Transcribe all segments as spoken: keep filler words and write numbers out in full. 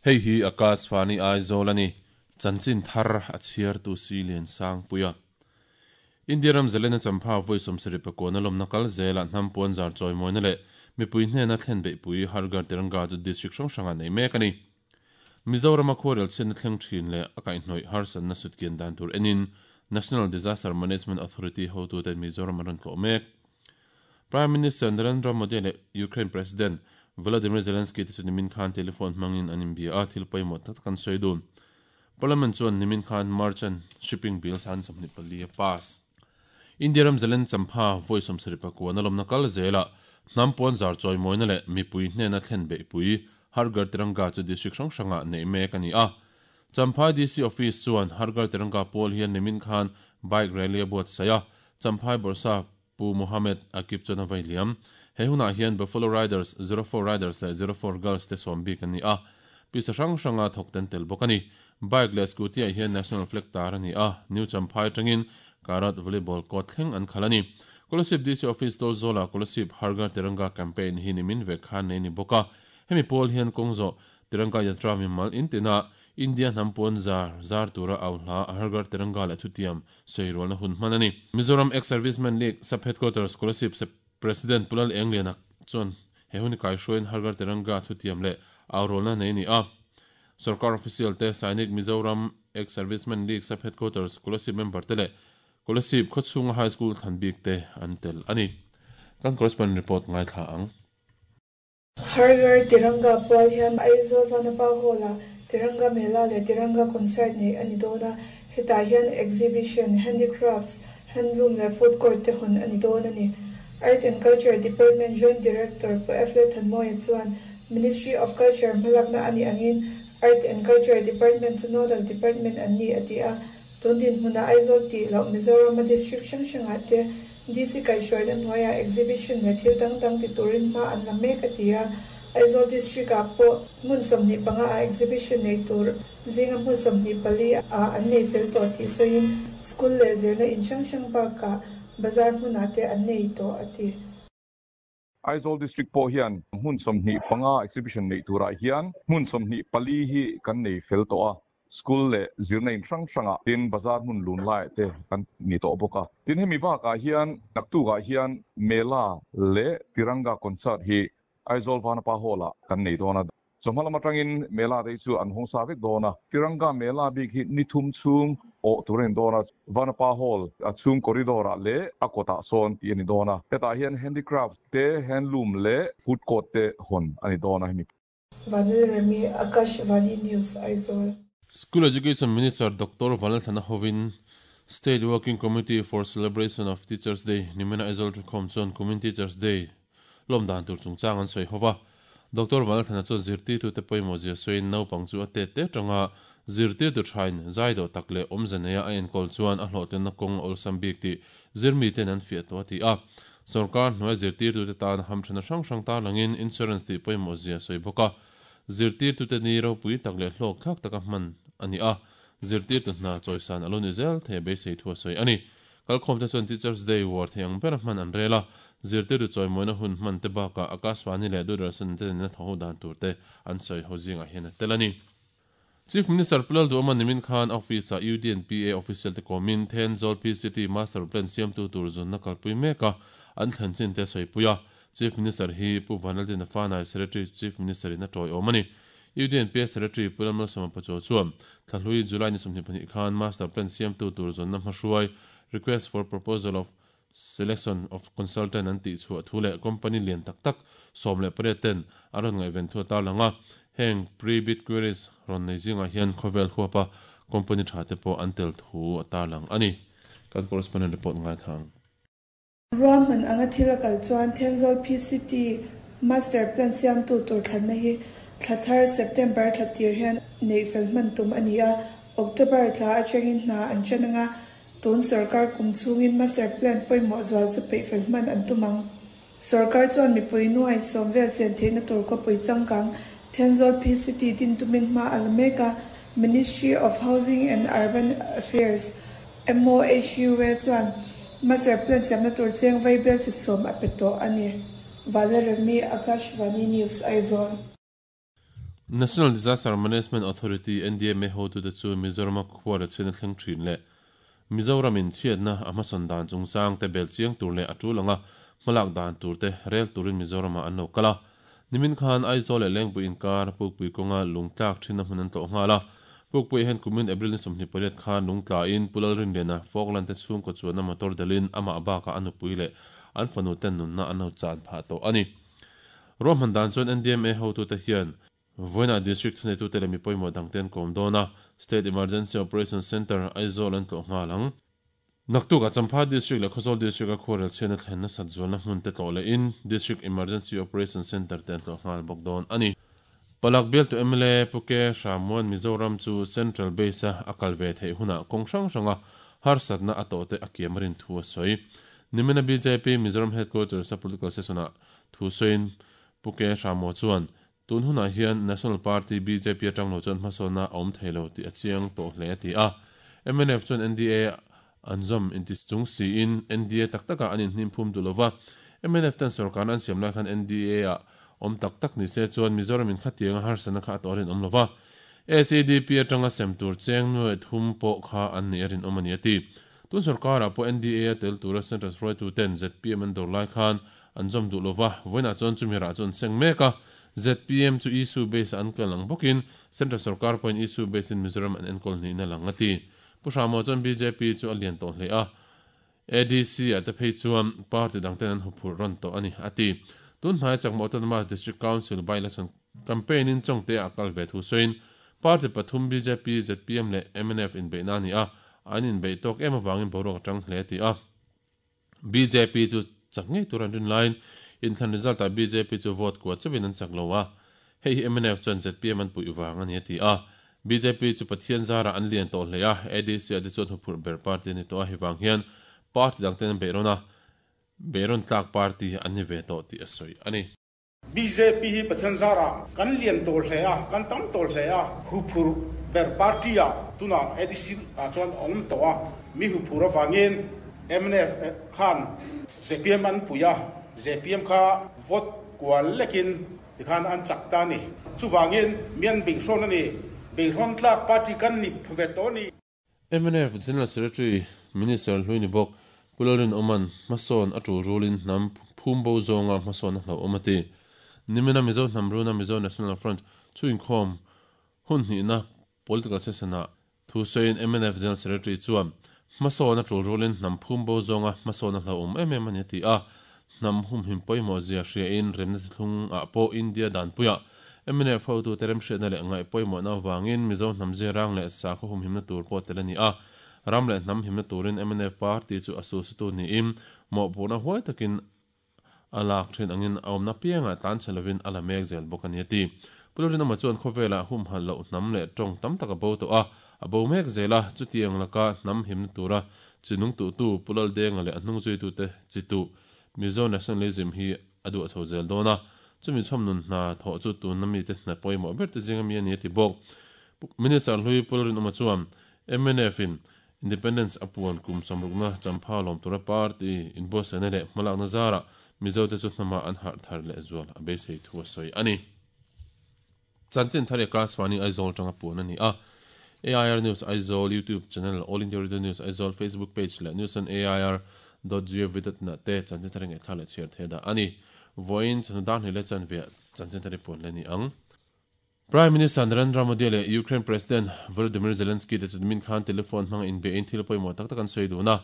Hei hi Akashvani Aizawl a ni. Chanchin thar a chhiar tu si lian sang puia. India ram zalena champha voi sawmsarih pakua na lawmna kal zela hnam puan zar chawi mawina leh mipui hnena thlen beih pui Har Ghar Tiranga chu district hrang hrangah nei mek a ni. Mizorama khuarel chhiatna thleng thin leh a kaihhnawih harsatna sutkian dan tur enin National Disaster Management Authority hotuten Mizoram an rawn tlawh mek. Prime Minister Narendra Modi leh Ukraine President Volodymyr Zelensky te chu nimin khan telephone hmangin an inbia a, thil pawimawh tak tak an sawi dun. Parliament chuan nimin khan Merchant Shipping Bill san sawmhnih pali a pass. India ram zalen champha vawi sawmsarih pakua na lawmna kal zelah hnam puan zar chawimawina leh mipui hnena thlen beihpui Har Ghar Tiranga chu district hrang hrangah neih mek a ni a. Champhai D C Office chuan Har Ghar Tiranga pawl hian nimin khan bike rally a buatsaih a, Champhai Bawrhsap Pu Mohammed Akib chuan a vai liam. He hunah hian Buffalo Riders, Zero Four Riders leh Zero Four Girls te sawm bik an ni a, pisa hrang hranga thawk ten tel bawk a ni. Bike leh scooty ah hian national flag tar a ni a, New Champhai atangin Karat Volleyball court thleng an khalh a ni. Kolasib D C Office Tawlzawla Kolasib Har Ghar Tiranga campaign hi nimin vek khan nei a ni bawk a, hemi pawl hian kawng zawh Tiranga Yatra mimal intina India hnam puan zar zar tura au hla Har Ghar Tiranga leh thutiam sawi rualna hun hman a ni. Mizoram Ex-Servicemen League Sub-Headquarters Kolasib President Pu Lal Engliana chuan he hun i kaihruaiin Har Ghar Tiranga thutiam leh au rualna nei a ni a. Sorkar official te Sainik Mizoram Ex-Servicemen League Sub-Headquarters Kolasib member te leh Kolasib khawchhunga High School thlan bik te an tel a ni. Kan correspondent report ngaithla ang. Har Ghar Tiranga pual hian Aizawl Vanapa Hall-ah Tiranga Mela leh Tiranga Concert neih a ni dawn a, hetah hian exhibition, handicrafts, handloom leh food court te hawn a ni dawn a ni. Art and Culture Department Joint Director Pu F. Lalthanmawia chuan Ministry of Culture hmalakna a nih angin Art and Culture Department chu nodal department an ni a ti a, tun dinhmunah Aizawl tih loh Mizorama district hrang hrangah te D C kaihhruaina hnuaiah exhibition leh thil dang dang ti turin hma an la mek a ti a, Aizawl district ah pawh hmun sawmhnih panga ah exhibition nei tur zinga hmun sawmhnih pali ah an nei fel tawh tih sawiin school leh zirna in hrang hrang bakah bazar hmunah te an nei tawh a ti. Aizawl district pawh hian hmun sawmhnih panga exhibition nei turah hian hmun sawmhnih pali hi kan nei fel tawh a, school leh zirna in hrang hrangah tin bazar hmun lun laiah te kan ni tawh bawk a. Tin, hemi bakah hian naktukah hian Mela leh Tiranga concert hi Aizawl Vanapa Hall-ah kan nei dawn a. Chawhma lam atangin Mela te hi chu an hawng sa vek dawn a. Tiranga Mela bik hi ni thum chhung awh tur a ni dawn a. Vanapa Hall a chhung corridor-ah leh a kawtah sawn tih a ni dawn a. Hetah hian handicrafts te, handloom leh food court te hawn a ni dawn a hemi. Vanil Remi, Akashvani News, Aizawl. School Education Minister Doctor Vanlalthlana hovin State Working Committee for Celebration of Teachers Day nimina Aizawl thukhawm chuan kumin Teachers Day lawm dan tur chungchang an sawi hova. Doctor Vanlalthlana chuan zirtirtute pawimawh zia sawiin naupang chu a tet te atanga zirtirtu thain zai dawh tak leh awmze neia a enkawl chuan a hlawhtlinna kawng a awlsam bik tih zirmiten an fiah tawh a ti a. Sorkar hnuai zirtirtute tan hamthana hrang hrang tarlangin insurance tih pawimawh zia sawi bawk a. Zirtirtute ni ropui tak leh hlawk thlak taka hman a ni a, zirtirtu hna chawisan a lo ni zel thei a beisei thu a sawi a ni. Kalkhawmte chuan Teachers Day war thei ang bera hman an rel a, zirtirtu chawimawina hun hman te bakah Akashvani leh Doordarshan te nena thaw ho dan tur te an sawi ho zingah hian a tel a ni. Chief Minister Pu Lalduhawma nimin khan office-ah U D N P A official te kawmin Thenzawl P C T Master Plan siamtu tur zunna kalpui mek a, an thlen chin te sawipui a. Chief Minister hi Pu Vanlaldina Fanai Secretary Chief Minister in a tawiawm a ni. U D N P A Secretary Pu Lalmalsawma Pachuau chuan thlahlui July ni sawmhnih pahnih khan Master Plan siamtu tur zunna hmahruai request for proposal of selection of consultant an tih chhuah thu leh company lian tak tak sawm leh pariat ten a rawn ngaihven thu a tarlang a, heng pre-bid queries rawn nei zingah hian khawvel huapa company tha te pawh an tel thu a tarlang a ni. Kan correspondent report ngaithla ang. Ruahman anga thil a kal chuan Thenzawl P C T Master Plan siamtu tur thlanna hi thla thar September thla tir hian neih fel hman tum a ni a, October thla atangin hna an ṭan anga, tun sorkar kum chhungin Master Plan pawimawh zual chu peih fel hman an tum ang. Sorkar chuan mipui nuai sawm vel chen theihna tur khawpui changkang Thenzawl P C T din tumin hma a la mek a, Ministry of Housing and Urban Affairs, M O H U A chuan Master Plan siamna tur cheng vaibel chi sawm a pe tawh a ni. Valarami, Akashvani News, Aizawl. National Disaster Management Authority N D M A hotu te chu Mizoram khuara chena thleng thin le Mizoram in chiatna a hmasawn dan chungchang te bel chiang tur leh a tulanga hmalak dan tur te rel turin Mizoram an lo kala nimin khan Aizawl leh Lengpui inkar Pukpui kawnga lungtlak thin a hmun an tlawh nghala Pukpui hen kumin April ni sawmhnih pariat khan lungtla in Pulal Rinliana Falkland te chhungkaw chuan a motor dalin amah baka a nupui leh an fanu ten nunna an lo chan phah tawh ani Roman dan chuan N D M A hotu te hian Voina District thuneitu te leh mipawimawh dangten kawm dawna State Emergency Operation Center Aizawl an tlawh nghalang Naktuk a Champha District leh Khawzawl District a khuarel chhiatna thlenna sat zualna hmun te tlawh leh in District Emergency Operation Center te an tlawh nghal bawk dawn ani Palak bial tu M L A Puke Hramuan Mizoram chu Central Base a akal ve thei huna kawng hrang hranga harsatna a tawh te a kiam rin thu a sawi Nimina B J P Mizoram Headquarters a political session a thu sawiin Puke Hramuan chuan tun hunah hian National Party B J P atang lo chuan hmasawna a awm thei lo tih a chiang tawh hle a ti a M N F chuan N D A an zawm inti chung siin N D A tak taka an inhnim phum du lova M N F ten sarkar an siam lai khan N D A a awm tak tak ni se chuan Mizoram in khatianga harsana kha a tawh rin awm lova A C D P atanga sem tur cheng nuai thum pawh kha an ni a rin awm ani a ti tun sarkar ah pawh N D A a tel tura Central hruaitu ten Z P M an dawr lai khan an zawm duh lova vawiinah chuan chumira chuan seng mek a Z P M chu issue base an kalang bawkin Central Sarkar point issue base in Mizoram an enkol ni na lang ati Pu Hramuan chuan B J P chu a lian tawh hle a A D C a te phei chuan party dangten an huphurh rawn tawh ani ati tun hnai chakma Autonomous District Council by election campaign in chongte a kal ve thu sawiin party pathum B J P Z P M leh M N F in beihna ani a an in beih tawk em awangin boruak atang hle ti a B J P chu chak ngei tur an rin laiin in thlan result a B J P chu vote kwa chawin an chak lo a hei hi M N F chuan Z P M an pui wang ani ti a B J P chu Pathian zara an lian tawh hle a A D C a ti chuan huphurh ber party ani tawh a hi wang hian party dangten an beihrawn a beihrawn tlak party an ni ve tawh tih a sawi ani B J P hi Pathian zara kan lian tawh hle a kan tam tawh hle a huphurh ber party a tuna A D C a chuan awm tawh a mi huphurh awangin M N F khan Z P M an pui a Z P M kha vote kwal lekin tikhan an chak ta ni chuwangin mian beihrawn ani beihrawn tlak party kan ni phuve to ni M N F General Secretary Minister Hluini bawk Pularin Oman hmasawn a tul rulin hnam phumbo zawnga hmasawn a hlo awm ati Nimina Mizo Hnamruna Mizo National Front chu inkhawm hun hnihna political session a thu sawiin M N F General Secretary chuan hmasawn a tul rulin hnam phumbo zawnga hmasawn a hlo awm em em ani ti a hnam hum him pawimawh zia hria in remna thlung ah pawh India dan puia M N F hotu te rem hriatna leh ngaih pawimawhna awangin Mizo hnam zirang leh sakhaw hum himna tur pawh tel ani a ram leh hnam himna turin M N F party chu a susitu niin mawhpurhna huai takin a lak thin angin a awmna pianga tlan chhe lovin a la mek zel bawk ani a ti Pularin ama chuan khawvela hum hal loh hnam leh tawng tam tak a bo tawh a a bo mek zela chutiang laka hnam himna tura chinung tu tu Pulal denga leh a hnung zui tu te chitu Mizo nationalism hi a duh chho zel dawna chumi chhawm nun hna thawh chu tun na mi te hna pawimawh ber te zinga mi ani a ti bawk Minister Hlui Pularin ama chuan M N F in Independence apuan kum samrukna Champha lawm tura party inbuatsaihna leh hmalakna zara Mizo te chu hnama an harh thar leh zual a beisei thu a sawi ani Chanchin thar Akashvani Aizawl tanga puan ani a A I R News Aizawl YouTube channel All India Radio News Aizawl Facebook page leh news on A I R dot gov dot na te chanchin thar nge thla leh chhiar the da ani voin chanu ni le chan ve chanchin thar puan le ni ang Prime Minister Narendra Modi leh Ukraine President Volodymyr Zelensky te chu min khan telephone hmang in be in thil pawimawh tak tak an sawi dun a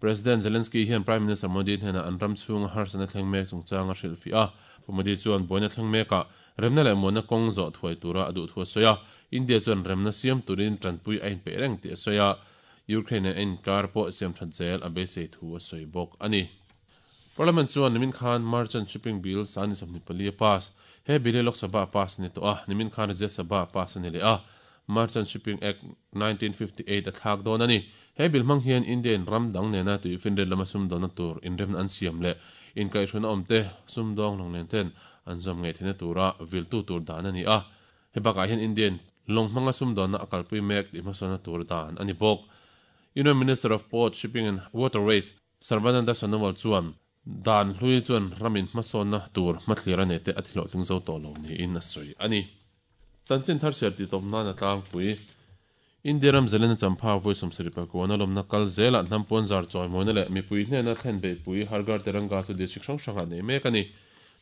President Zelensky hian Prime Minister Modi hnena an ram chhunga harsana thleng mek chungchanga hrilh fi a Modi chuan buaina thleng meka remna leh muanna kawng zawh thuai tura a duh thu a sawi a India chuan remna siam turin tanpui a inpeih reng tih a sawi a Ukraine en kar pawh siam that zel a beisei thu a sawi bawk ani Parliament chuan nimin khan Merchant Shipping Bill sani sawmhnih pali a pass he bill Lok Sabha pass ni tawh a nimin khan Rajya Sabha pass ani leh a Merchant Shipping Act nineteen fifty-eight a thlak dawn ani he bill hmang hian Indian ram dang nena tui finret lama sum dawna tur inrem an siam leh inkaihhruna awm te sum dawng lawng nen ten an zawm ngei theihna tura vil tu tur dan ani a he bakah hian Indian lawng hmanga sum dawna a kalpui mek tih hmasawna tur dan ani bawk Union Minister of Port Shipping and Waterways Sarbananda Sonowal chuan dan hlui chuan ramin hmasawna tur hmathlir a nei te a thilawh tling zo tawh lo niin a sawi ani Chanchin thar siar ti tawp nan a tlangpui. India ram zalena champha vawi sawmsarih pakuana lawmna kal zelah hnam puanzar chawimawina leh mipui hnena thlen beihpui Har Ghar Tiranga chu district hrang hrangah nei mek a ni.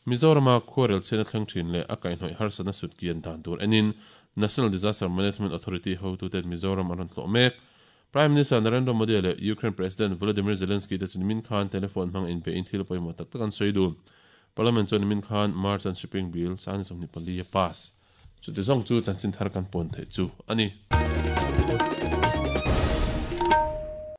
Mizorama khuarel chhiatna thleng thin leh a kaihhnawih harsatna sut kian dan tur enin National Disaster Management Authority hotuten Mizoram an rawn tlawh mek. Prime Minister Narendra Modi leh Ukraine President Volodymyr Zelensky te chu nimin khan telephone hmang inpein thil pawimawh tak tak an sawi dun. Parliament chuan nimin khan Merchant Shipping Bill sangni sawmhnih pali a pass. Chuti zawng chu chanchin thar kan pawn theih chu a ni.